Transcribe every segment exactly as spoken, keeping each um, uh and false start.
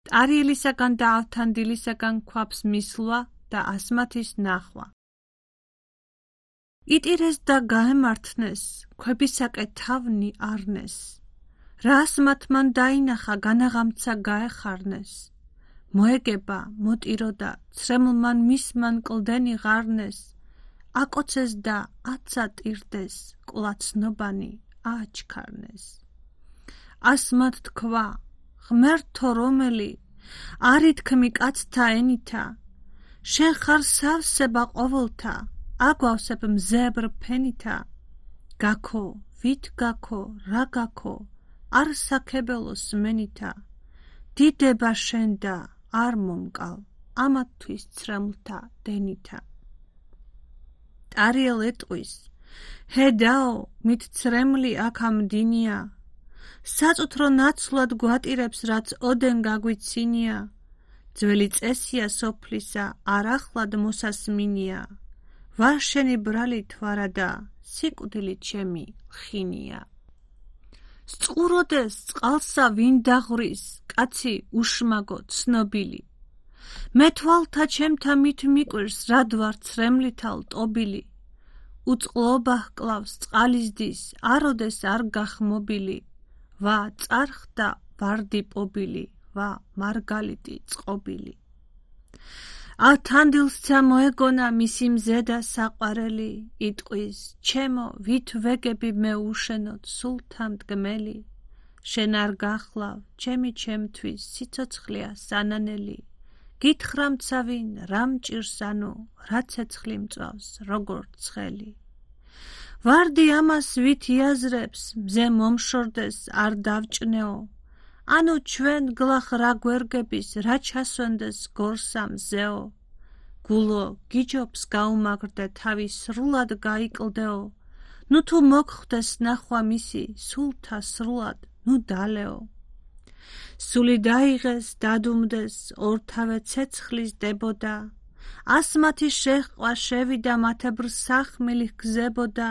ტარიელისაგან და ავთანდილისაგან ქვაფს მისლვა და ასმათის ნახვა. იტირეს და გაემართნეს, ქვებისაკე თავნი არნეს. რას მათ მან დაინახა, განაღამცა გაეხარნეს. მოეგება, მოტირო და ცრემლმან მისმან კლდენი ღარნეს. აკოცეს და აცა ტირდეს, კლაცნობანი აჩქარნეს. ასმათ თქვა, ღმერთო რომელი, არითქმი კაცთა ენითა, შენ ხარ სავსება ყოველთა, აგვავსებ მზებრ ფენითა. გაქო, ვით გაქო, რა გაქო, არ საქებელოს მენითა. დიდება შენ და არ მომკალ, ამათთვის ცრემლთა დენითა. ტარიელ ეტყვის, ჰედაო, მით ცრემლი აქ ამდინია. საწუთრო ნაცვლად გვატირებს, რაც ოდენ გაგვიცინია. ძველი წესია სოფლისა, არ ახლად მოსასმინია. ვარ შენი ბრალი თვარადა, სიკვდილი ჩემი ხინია. სწყუროდეს წყალსა ვინ დაღვრის, კაცი უშმაგო ცნობილი. მე თვალთა ჩემთა მით მიკვირს, რად ვარ ცრემლითა ლტობილი. უწყლობა ჰკლავს წყალისდის, აროდეს არ გახმობილი. ვა წარხდა ვარდი პობილი, ვა მარგალიტი წყობილი. ავთანდილსცა მოეგონა მისი მზედა საყვარელი, იტყვის, ჩემო ვით ვეგები მე უშენოდ სულთა მდგმელი. შენ არ გახლავ, ჩემი ჩემთვის სიცოცხლეა სანანელი. გითხრამცა ვინ, რა მჭირს ანუ, რა ცეცხლი მწვავს, როგორ ცხელი. ვარდი ამას ვით იაზრებს, მზე მომშორდეს არ დავჭნეო. ანუ ჩვენ გლახ რა გვერგების, რა ჩასვენდეს გორსა მზეო. გულო გიჯობს გაუმაგრდე თავი სრულად გაიკლდეო. ნუ თუ მოგხვდეს ნახვა მისი, სულთა სრულად, ნუ დალეო. სული დაიღეს, დადუმდეს, ორთავე ცეცხლის დებოდა. ასმათი შეჰყვა შევიდა, მათებრ სახმილი გზებოდა.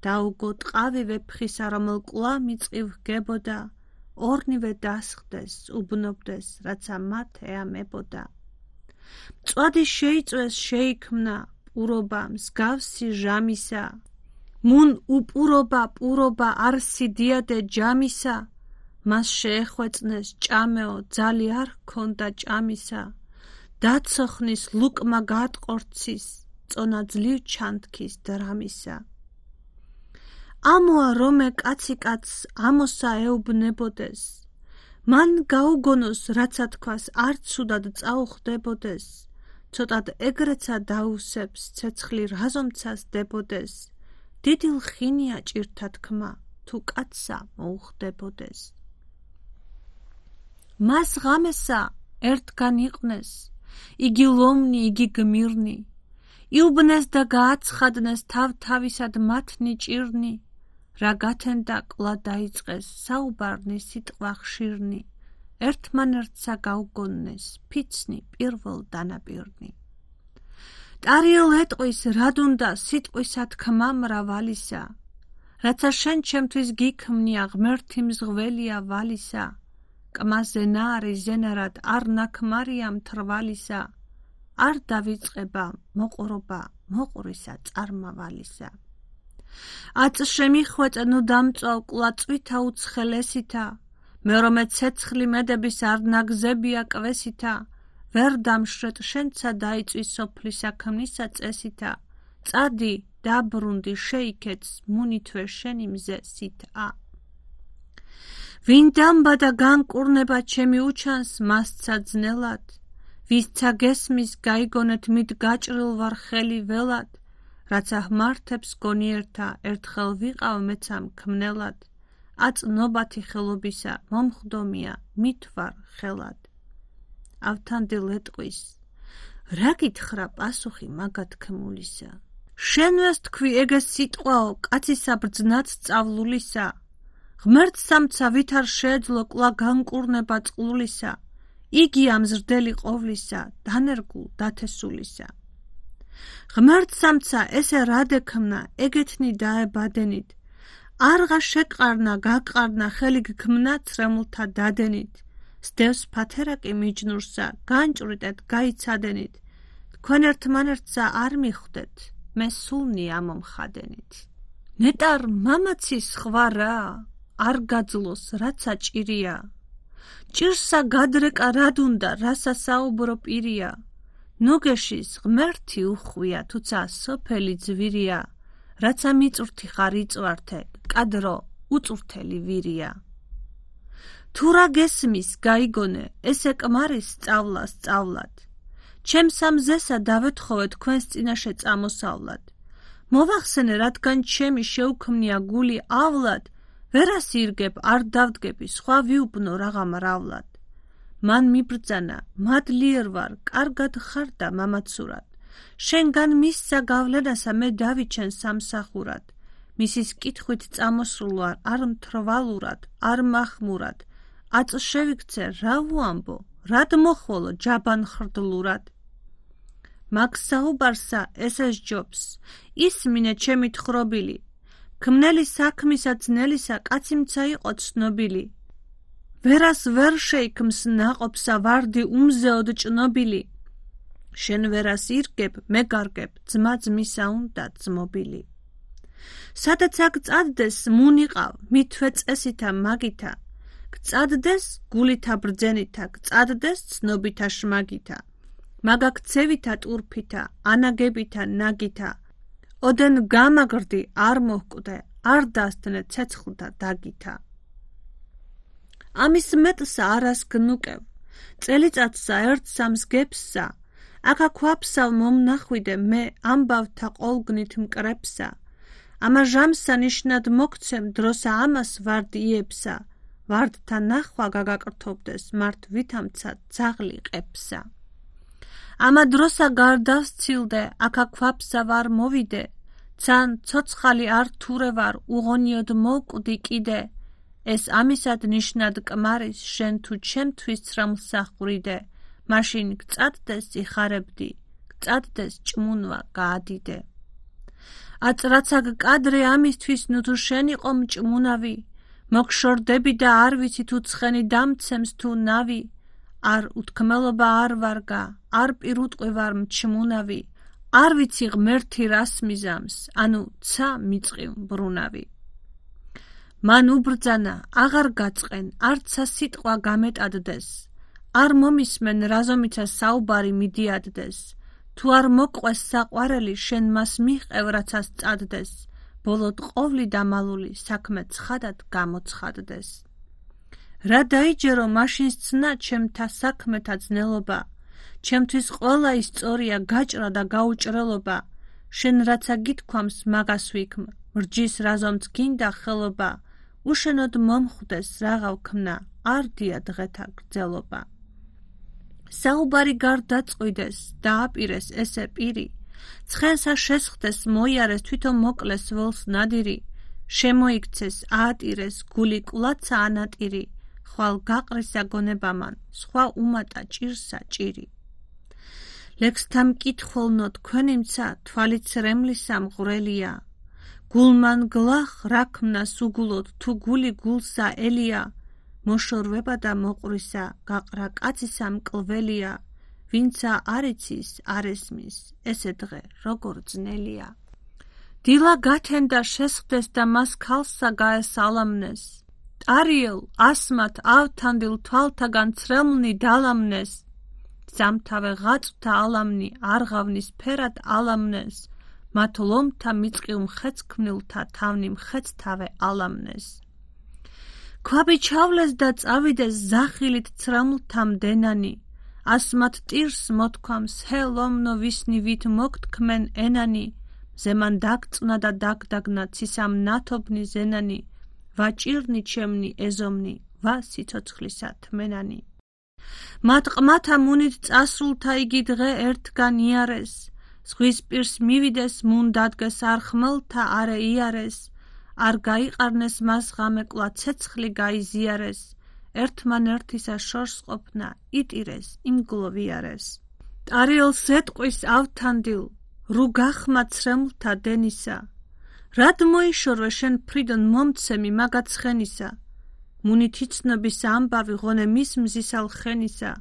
დაუგო ტყავი ვეფხისა, რომელ კლა მიწივ გებოდა. ორნივე დასხდეს, უბნობდეს, რაცა მათ ეამებოდა. მწვადი შეიწვეს, შეიქმნა, პურობა მსგავსი ჟამისა. მუნ უპურობა, პურობა არსი დიადე ჯამისა. მას შეეხვეწნეს ჭამეო, ძალი არ ჰქონდა ჭამისა. დაცოხნის ლუკმა გაატყორცის, წონა ძლივ ჩანთქის დრამისა. ამოა რომე კაცი კაცს ამოსა ეუბნებოდეს. მან გაუგონოს, რაცა თქვას არ ცუდად წაუხდებოდეს. ცოტად ეგრეცა დაუსებს, ცეცხლი რაზომცას დებოდეს. დიდი ლხინია ჭირთა თქმა, თუ კაცსა მოუხდებოდეს. მას ღამესა ერთგან იყვნეს, იგი ლომნი, იგი გმირნი. იუბნეს და გააცხადნეს თავ-თავისად მათნი ჭირნი. რა გათენდა კლა დაიწყეს, საუბარნი სიტყვა ხშირნი. ერთმანერთსა გაუგონნეს, ფიცნი პირველ დანაპირნი. ტარიელ ეტყვის, რად უნდა სიტყვისა თქმა მრავალისა. რაცა შენ ჩემთვის გიქმნია, ღმერთი მზღველია ვალისა. კმაზე ნაარი ზენარად არ ნაქმარია მთრვალისა. არ დავიწყება მოყრობა მოყვრისა წარმავალისა. აწ შემიხვეწე, ნუ დამწვავ კლაწვითა უცხელესითა. მე რომე ცეცხლი მედების არ ნაგზებია კვესითა. ვერ დამშრეთ, შენცა დაიწვის სოფლისა ქმნისა წესითა. წადი, დაბრუნდი, შეიქეც, მუნითვე შენი მზე სიტა. ვინ დამბა და განკურნება ჩემი უჩანს, მასცა ძნელად. ვისცა გესმის, გაიგონეთ, მით გაჭრილ ვარ ხელი ველად. რაცა ჰმართებს გონიერთა, ერთხელ ვიყავ მეცამ ქმნელად. აწ ნობათი ხელობისა, მომხდომია, მით ვარ ხელად. ავთანდილ ეტყვის, რა გითხრა პასუხი მაგათქმულისა. შენვეს თქვი ეგეს სიტყვაო, კაცისა ბრძნაც სწავლულისა. ღმერთსამცა ვით არ შეეძლო კლა განკურნება წყლულისა. იგი ამზრდელი ყოვლისა, დანერგულ დათესულისა. ღმერთსამცა ესე რად ექმნა, ეგეთნი დაებადენით. არღა შეყარნა, გაყარნა, ხელი გქმნა ცრემლთა დადენით. სდევს ფათერაკი მიჯნურსა, განჭვრიტეთ, გაიცადენით, თქვენ ერთმანერთსა არ მიხვდეთ, მე სულნი ამომხადენით. ნეტარ მამაცის ხვარა, არ გაძლოს, რაცა ჭირია, ჭირსა გადრეკა რად უნდა, რასა საუბრო პირია, ნუგეშის ღმერთი უხვია, თუცა სოფელი ძვირია, რაცა მიწვრთი ხარ იწვართე, კადრო უწვრთელი ვირია. თუ რა გესმის გაიგონე, ესე კმარის სწავლა სწავლად, ჩემს ამზესა დავეთხოვე თქვენს წინაშე წამოსავლად. მოვახსენე, რადგან ჩემი შეუქმნია გული ავლად, ვერას ირგებ, არ დავდგები, სხვა ვიუბნო რაღა მრავლად. მან მიბრძანა, მადლიერ ვარ, კარგად ხარ და მამაცურად. შენგან მისცა გავლენასა მე დავიჩენ სამსახურად. მისის კითხვით წამოსულ ვარ, არ მთრვალურად, არ მახმურად. აწ შევიქცე, რა ვუამბო, რად მოხვალო ჯაბან ხრდლურად. მაგ საუბარსა ესეს ჯობს, ისმინე ჩემი თხრობილი, ქმნელი საქმისა ძნელისა კაციმცა იყო ცნობილი. ვერას ვერ შეიქმს ნაყოფსა ვარდი უმზეოდ ჭნობილი. შენ ვერას ირგებ, მე გარგებ, ძმა ძმისა უნდა ძმობილი. სადაც აქ წადდეს მუნიყავ, მithვე წესითა მაგითა, გწადდეს გულითა ბრძენითა, გწადდეს ცნობითა შმაგითა, მაგაქცევითა ტურფითა, ანაგებითა ნაგითა, ოდენ გამაგრდი არ მოჰკვდე, არ დასდნე ცეცხლთა დაგითა. ამის მეტსა არას გნუკევ, წელიწადსა ერთ სამს გებსა, აქა ქვაფსა მომნახვიდე მე ამბავთა ყოლგნით მკრებსა, ამა ჟამსა ნიშნად მოგცემ დროსა ამას ვარდი იებსა, ვარდთა ნახვა გაგაკრთობდეს, მართ ვითამცა ძაღლი ყებსა. ამა დროსა გარდავსცილდე, აქა ქვაფსა ვარ მოვიდე, ცან ცოცხალი არ თურე ვარ, უღონიოდ მოვკვდი კიდე, ეს ამისად ნიშნად კმარის, შენ თუ ჩემთვის ცრემლსა ხვრიდე, მაშინ გწადდეს იხარებდი, გწადდეს ჭმუნვა გაადიდე. აწ რაცა გკადრე ამისთვის, ნუ თუ შენ იყო მჭმუნავი, მოგშორდები და არ ვიცი თუ ცხენი დამცემს თუ ნავი, არ უთქმელობა არ ვარგა, არ პირუტყვი ვარ მჩმუნავი, არ ვიცი ღმერთი რას მიზამს, ანუ ცა მიწყივ ბრუნავი. მან უბრძანა, აღარ გაწყენ, არცა სიტყვა გამეტადდეს, არ მომისმენ რაზომიცა საუბარი მიდიადდეს, თუ არ მოყვეს საყვარელი, შენ მას მიჰყევ რაცას წადდეს, ბოლოდ ყოვლი დამალული საქმე ცხადად გამოცხადდეს. რა დაიჯერო მაშინ სცნა ჩემთა საქმეთა ძნელობა, ჩემთვის ყველა ის სწორია გაჭრა და გაუჭრელობა, შენ რაცა გითქვამს მაგას ვიქმ, მრჯის რაზომც გინდა ხელობა, უშენოდ მომხვდეს რაღა ვქმნა, არ დია დღეთა გრძელობა. საუბარი გარდაწყვიდეს, დააპირეს ესე პირი, ცხენსა შესხდეს, მოიარეს, თვითონ მოკლეს ველს ნადირი, შემოიქცეს, აატირეს, გული კვლაცა ანატირი, ხვალ გაყრისა გონებამან, სხვა უმატა ჭირსა ჭირი. ლექსთა მკითხველნო თქვენიმცა, თვალით სრემლისა მღვრელია, გულმან გლახ რა ქმნას უგულოდ, თუ გული გულსა ელია, მოშორვება და მოყვრისა, გაყრა კაცისა მკლველია, ვინცა არ იცის, არ ესმის, ესე დღე როგორ ძნელია. დილა გათენდა შესხდეს და მას ქალსა გაესალამნეს, ტარიელ, ასმათ, ავთანდილ თვალთაგან ცრემლნი დალამნეს, ზამთავე ღაწვთა ალამნი, არღავნის ფერად ალამნეს, მათ ლომთა მიწყივ მხეცქმნილთა თავნი მხეცთავე ალამნეს. ქვაბი ჩავლეს და წავიდეს ზახილით ცრემლთა მდენანი, ასმათ ტირს მოთქვამს, ჰე ლომნო ვისნი ვით მოგთქმენ ენანი, ზემან დაგწნა და დაგდაგნა ცისამ ნათობნი ზენანი, ვაჭირნი ჩემნი ეზომნი, ვა სიცოცხლისა თმენანი. მათ ყმათა მუნით წასულთა იგი დღე ერთგან იარეს, ზღვის პირს მივიდეს მუნ დადგეს არ ხმელთა არე იარეს, არ გაიყარნეს მას ღამე კვლავ ცეცხლი გაიზიარეს, ერთმანერთისა შორს ყოფნა იტირეს, იმგლოვიარეს. ტარიელს ეტყვის ავთანდილ, რუ გახმა ცრემლთა დენისა, რად მოიშორვე შენ ფრიდონ მომცემი მაგა ცხენისა, მუნითი ცნობის ამბავი ღონე მის მზისალ ხენისა,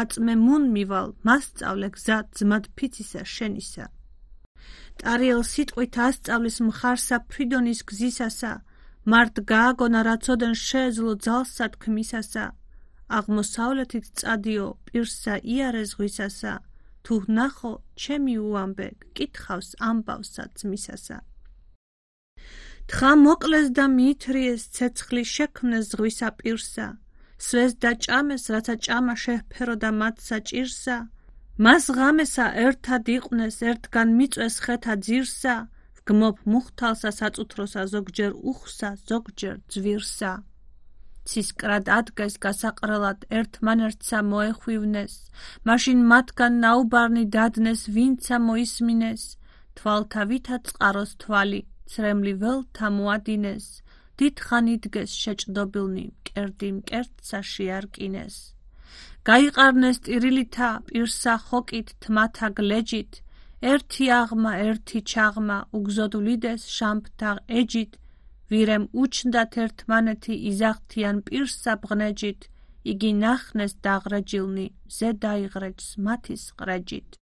აწმე მუნ მივალ, მასწავლე გზა ძმად ფიცისა შენისა. ტარიელ სიტყვით ასწავლის მხარსა ფრიდონის გზისასა, მართ გააგონა რაცოდენ შეეძლო ძალსა თქმისასა, აღმოსავლეთით წადიო პირსა იარე ზღვისასა, თუ ნახო ჩემი უამბე გკითხავს ამბავსა ძმისასა. თხა მოკლეს და მიითრიეს ცეცხლი შექმნეს ზღვისა პირსა, სვეს და ჭამეს რაცა ჭამა შეჰფეროდა მათსა ჭირსა, მას ღამესა ერთად იყვნეს ერთგან მიწვეს ხეთა ძირსა, ვგმობ მუხთალსა საწუთროსა ზოგჯერ უხსა ზოგჯერ ძვირსა. ცისკრად ადგეს გასაყრელად ერთმანერთსა მოეხვივნეს, მაშინ მათგან ნაუბარნი დადნეს ვინცა მოისმინეს, თვალთა ვითა წყაროს თვალი, ცრემლი ველთა მოადინეს, დიდხან იდგეს შეჭდობილნი მკერდი მკერდსა შეარკინეს. გაიყარნეს ტირილითა პირსა ხოკით თმათა გლეჯით, ერთი აღმა ერთი ჩაღმა უგზოდ ვლიდეს შამფთა ეჯით, ვირემ უჩნდათ ერთმანეთი იზაღთიან პირსა ბღნეჯით, იგი ნახნეს დაღრეჯილნი მზე დაიღრეჯს მათის ყრეჯით.